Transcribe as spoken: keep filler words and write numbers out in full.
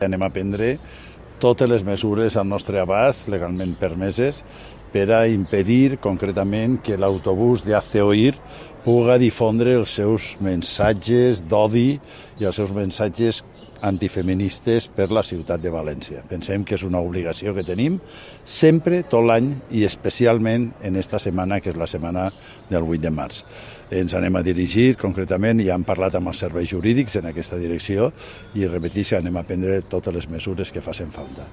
Anem a prendre totes les mesures al nostre abast, legalment permeses, per a impedir concretament que l'autobús de Hazte Oír puga difondre els seus missatges d'odi i els seus missatges antifeministes per la ciutat de València. Pensem que és una obligació que tenim sempre, tot l'any, i especialment en esta setmana, que és la setmana del vuit de març. Ens anem a dirigir, concretament, i hem parlat amb els serveis jurídics en aquesta direcció, i repeteixo, anem a prendre totes les mesures que facin falta.